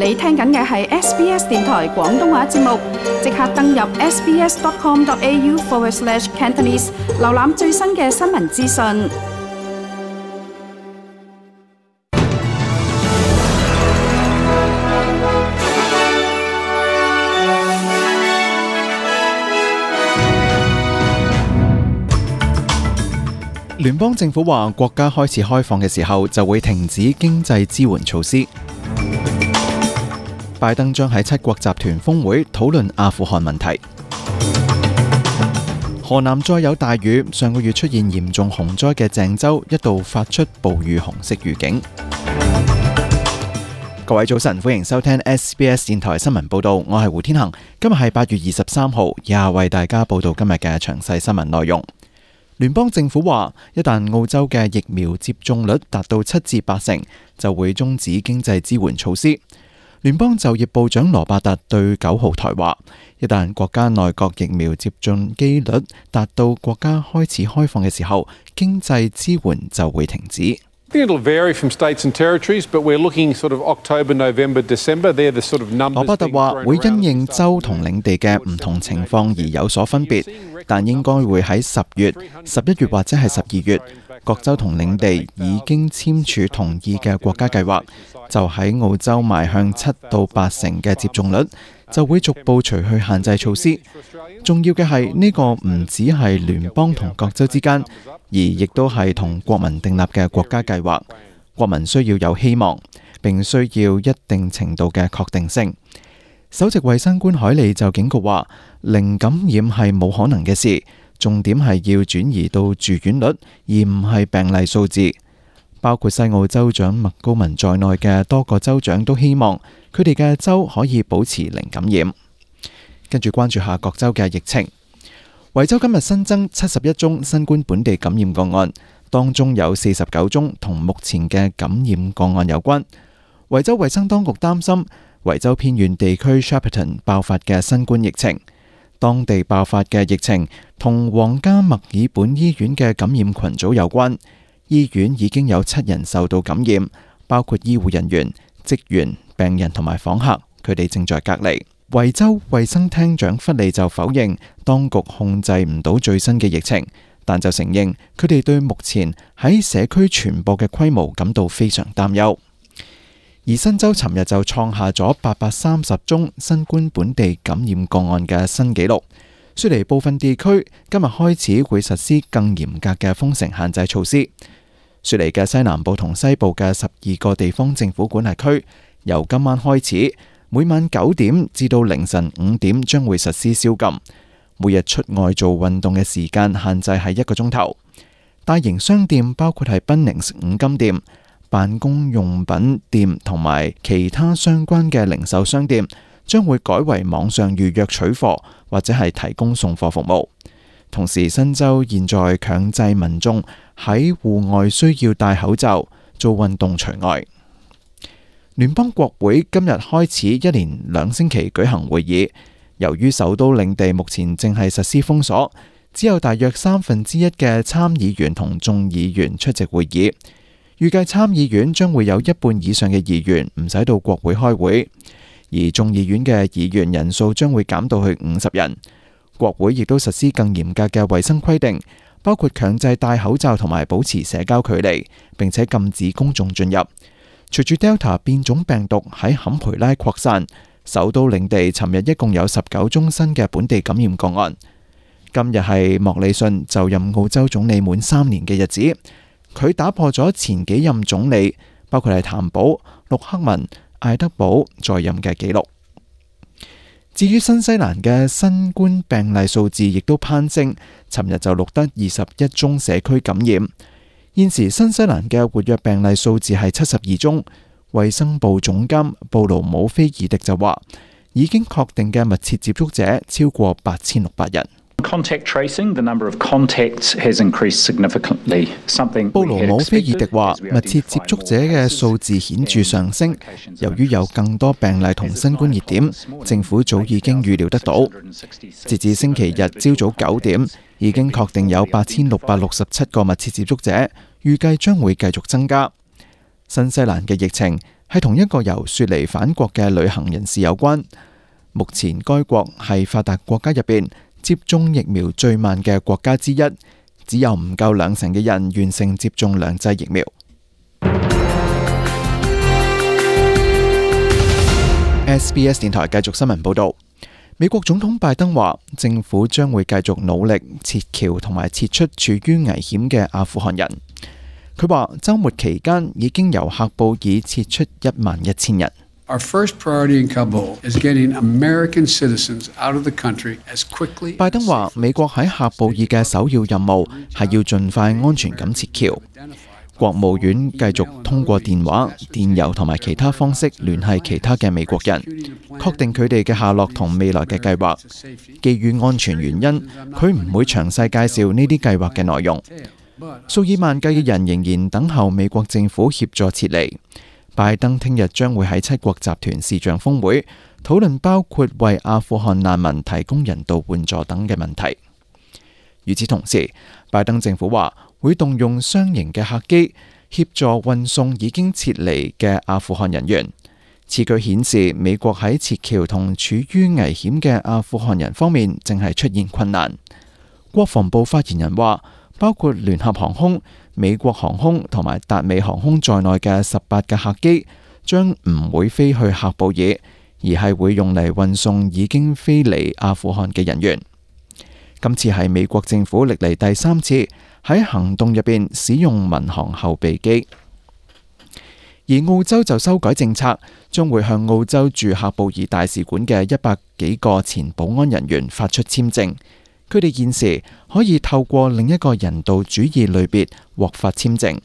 你聽緊嘅係 SBS 電台廣東話節目，即刻登入 sbs.com.au/Cantonese 瀏覽最新嘅新聞資訊。聯邦政府話，國家開始開放嘅時候就會停止經濟支援措施。拜登將喺7國集團峰會討論阿富汗問題。河南再有大雨，上個月出現嚴重洪災嘅鄭州一度發出暴雨紅色預警。各位早晨，歡迎收聽 SBS 電台新聞報道，我係胡天恒。今日係8月23號，以下為大家報道今日嘅詳細新聞內容。聯邦政府話，一旦澳洲嘅疫苗接種率達到7至8成，就會終止經濟支援措施。聯邦就業部長羅伯特對9號台話，一旦國家內閣疫苗接種機率達到國家開始開放嘅時候，經濟支援就會停止。羅伯特話會因應州同領地嘅唔同情況而有所分別，但應該會喺10月、11月或者係12月，各州同領地已經簽署同意嘅國家計劃，就喺澳洲邁向7到8成嘅接種率，就會逐步除去限制措施。重要嘅係呢個唔只係聯邦同各州之間，而亦都係同國民訂立嘅國家計劃。國民需要有希望，並需要一定程度嘅確定性。首席衛生官海利就警告話，零感染係冇可能嘅事，重點係要轉移到住院率，而唔係病例數字。包括西澳州長麥高文在內嘅多個州長都希望佢哋嘅州可以保持零感染。跟住關注下各州嘅疫情。維州今日新增71宗新冠本地感染個案，當中有49宗同目前嘅感染個案有關。維州衛生當局擔心維州偏遠地區 Shepparton 爆發嘅新冠疫情，當地爆發嘅疫情同皇家墨爾本醫院嘅感染群組有關。醫院已經有7人受到感染，包括醫護人員、職員、病人同埋訪客，佢哋正在隔離。維州衛生廳長弗利就否認當局控制唔到最新嘅疫情，但就承認佢哋對目前喺社區傳播嘅規模感到非常擔憂。而新州尋日就創下咗830宗新冠本地感染個案嘅新紀錄。雪梨部分地區今日開始會實施更嚴格嘅封城限制措施。雪梨嘅西南部同西部嘅12個地方政府管轄區，由今晚開始，每晚9點至到凌晨5點將會實施宵禁。每日出外做運動嘅時間限制係1個鐘頭。大型商店包括係Bunnings5金店、辦公用品店同埋其他相關嘅零售商店，將會改為網上預約取貨或者係提供送貨服務。同時，新州現在強制民眾喺戶外需要戴口罩，做運動除外。聯邦國會今日開始一連2星期舉行會議，由於首都領地目前正係實施封鎖，只有大約1/3嘅參議員同眾議員出席會議。預計參議院將會有1半以上嘅議員唔使到國會開會，而眾議院嘅議員人數將會減到去50人。國會亦都實施更嚴格嘅衛生規定，包括強制戴口罩同埋保持社交距離，並且禁止公眾進入。隨住 Delta 變種病毒喺坎培拉擴散，首都領地尋日一共有19宗新嘅本地感染個案。今日係莫里遜就任澳洲總理滿3年嘅日子，佢打破咗前幾任總理，包括係譚寶、陸克文、艾德堡在任嘅紀錄。至於新西蘭嘅新冠病例數字亦都攀升，尋日就錄得21宗社區感染。現時新西蘭嘅活躍病例數字係72宗。衛生部總監布魯姆菲爾迪就話，已經確定嘅密切接觸者超過8600人。布魯姆菲爾迪話，密切接觸者嘅數字顯著上升，由於有更多病例同新冠熱點，政府早已經預料得到。截至星期日朝早9點，已經確定有8667個密切接觸者，預計將會繼續增加。新西蘭嘅疫情係同一個由雪梨返國嘅旅行人士有關。目前該國係發達國家入邊接種疫苗最慢嘅國家之一，只有唔夠20%嘅人完成接種2劑疫苗。SBS 電台繼續新聞報導。美國總統拜登話，政府將會繼續努力撤僑同埋撤出處於危險嘅阿富汗人。佢話，週末期間已經由喀布爾撤出11000人。Our first priority in Kabul is getting American citizens out of the country as quickly. 拜登話，美國喺喀布爾嘅首要任務係要盡快安全咁撤僑。國務院繼續通過電話、電郵同埋其他方式聯繫其他嘅美國人，確定佢哋嘅下落同未來嘅計劃。基於安全原因，佢唔會詳細介紹呢啲計劃嘅內容。數以萬計嘅人仍然等候美國政府協助撤離。拜登聽日將會喺7國集團視像峰會討論包括為阿富汗難民提供人道援助等嘅問題。與此同時，拜登政府話會動用雙型嘅客機協助運送已經撤離嘅阿富汗人員。此舉顯示美國喺撤僑同處於危險嘅阿富汗人方面正係出現困難。國防部發言人話，包括聯合航空、美國航空同埋達美航空在內嘅18架客機將唔會飛去喀布爾，而係會用嚟運送已經飛離阿富汗嘅人員。今次係美國政府歷嚟第3次喺行動入邊使用民航後備機。而澳洲就修改政策，將會向澳洲駐喀布爾大使館嘅100幾個前保安人員發出簽證。佢哋現時可以透過另一個人道主義類別獲發簽證。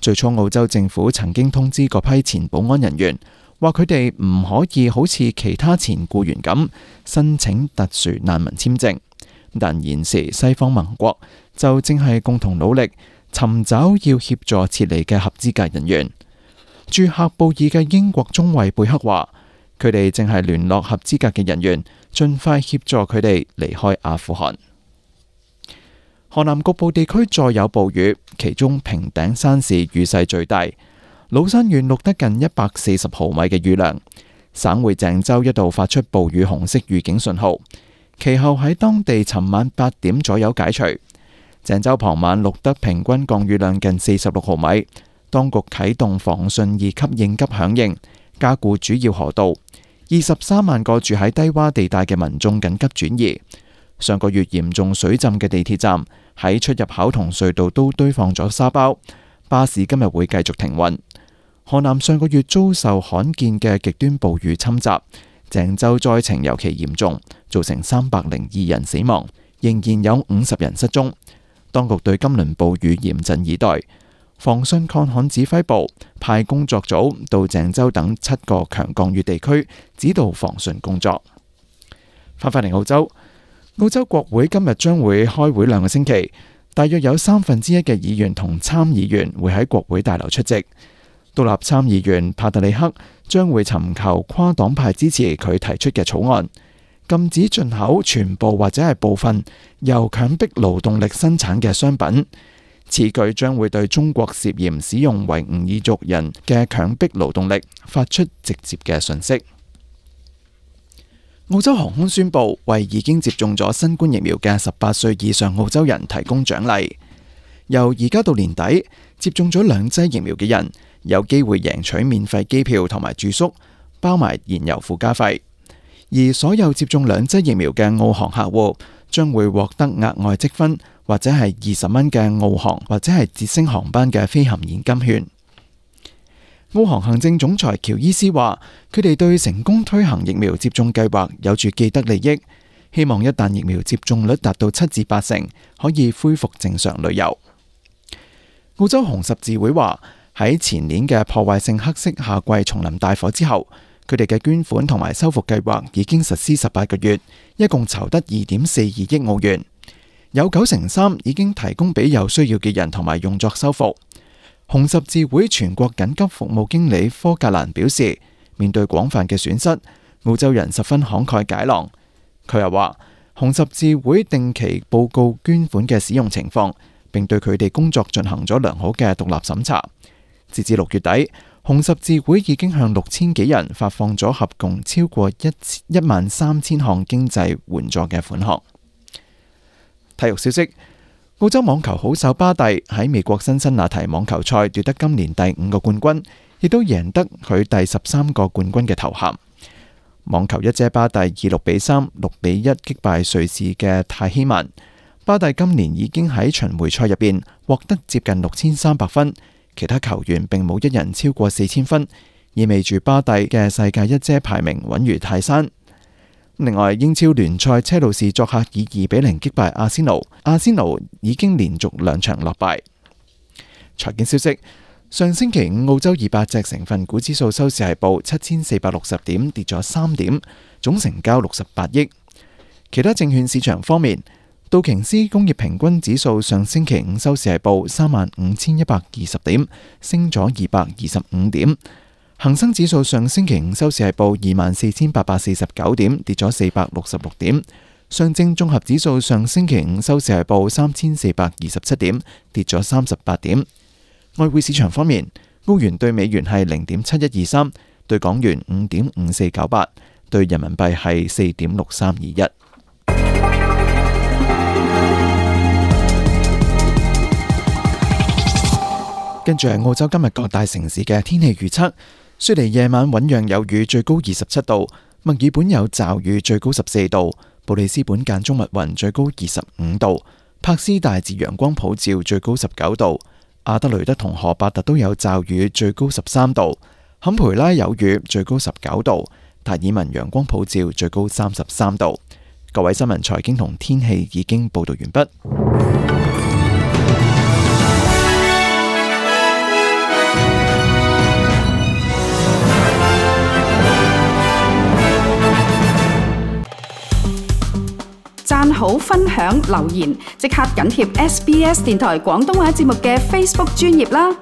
最初澳洲政府曾經通知嗰批前保安人員，話佢哋唔可以好似其他前僱員咁申請特殊難民簽證。但現時西方盟國就正係共同努力尋找要協助撤離嘅合資格人員。駐喀布爾嘅英國中尉貝克話，佢哋正係聯絡合資格嘅人員，盡快協助佢哋離開阿富汗。河南局部地區再有暴雨，其中平頂山市雨勢最大，老山縣錄得近140毫米嘅雨量。省會鄭州一度發出暴雨紅色預警信號，其後喺當地尋晚8點左右解除。鄭州傍晚錄得平均降雨量近46毫米，當局啟動防汛2級應急響應，加固主要河道。23萬個住喺低洼地帶嘅民眾緊急轉移。上個月嚴重水浸嘅地鐵站喺出入口同隧道都堆放咗沙包，巴士今日會繼續停運。河南上個月遭受罕見嘅極端暴雨侵襲，鄭州災情尤其嚴重，造成302人死亡，仍然有50人失蹤。當局對今輪暴雨嚴陣以待。防汛抗旱指揮部派工作組到鄭州等7個強降雨地區指導防汛工作。翻返嚟澳洲，澳洲國會今日將會開會2個星期，大約有1/3嘅議員同參議員會喺國會大樓出席。獨立參議員帕特里克將會尋求跨黨派支持佢提出嘅草案，禁止進口全部或者係部分由強迫勞動力生產嘅商品。此舉將會對中國涉嫌使用維吾爾族人嘅強迫勞動力發出直接嘅訊息。澳洲航空宣布為已經接種咗新冠疫苗嘅18歲以上澳洲人提供獎勵。由而家到年底，接種咗2劑疫苗嘅人有機會贏取免費機票同埋住宿，包埋燃油附加費。而所有接種2劑疫苗嘅澳航客戶將會獲得額外積分，或者係20蚊嘅澳航或者係捷星航班嘅飛行現金券。澳航行政總裁喬伊斯話，佢哋對成功推行疫苗接種計劃有住既得利益，希望一旦疫苗接種率達到7至8成，可以恢復正常旅遊。澳洲紅十字會話，喺前年嘅破壞性黑色夏季叢林大火之後，佢哋嘅捐款同埋修復計劃已經實施18個月，一共籌得2.42億澳元，有93%已經提供俾有需要嘅人同埋用作修復。紅十字會全國緊急服務經理科格蘭表示，面對廣泛嘅損失，澳洲人十分慷慨解囊。佢又話，紅十字會定期報告捐款嘅使用情況，並對佢哋工作進行咗良好嘅獨立審查。截至6月底，紅十字會已經向6000幾人發放咗合共超過13000項經濟援助嘅款項。體育消息：澳洲網球好手巴蒂喺美國辛辛那提網球賽奪得今年第5個冠軍，亦都贏得佢第13個冠軍嘅頭銜。網球一姐巴蒂以6-3、6-1擊敗瑞士嘅泰希曼。巴蒂今年已經喺巡迴賽入邊獲得接近6300分，其他球員並冇一人超過4000分，意味住巴蒂嘅世界一姐排名穩如泰山。另外，英超聯賽車路士作客以2-0擊敗阿仙奴，阿仙奴已經連續2場落敗。財經消息：上星期五澳洲200隻成分股指數收市係報7460點，跌咗3點，總成交68億。其他證券市場方面，道瓊斯工業平均指數上星期五收市係報35120點，升咗225點。恒生指數上星期五收市係報24849點，跌咗466點。上證綜合指數上星期五收市係報3427點，跌咗38點。外匯市場方面，澳元對美元係0.7123，對港元5.5498，對人民幣係4.6321。跟住係澳洲今日各大城市嘅天氣預測。雪梨夜晚醞釀有雨，最高27度；墨爾本有驟雨，最高14度；布里斯本間中密雲，最高25度；柏斯大致陽光普照，最高19度；阿德雷德同荷伯特都有驟雨，最高13度；坎培拉有雨，最高19度；達爾文陽光普照，最高33度。各位新聞、財經同天氣已經報道完畢。讚好、分享、留言，即刻緊貼SBS 電台廣東話節目嘅 Facebook 專頁啦！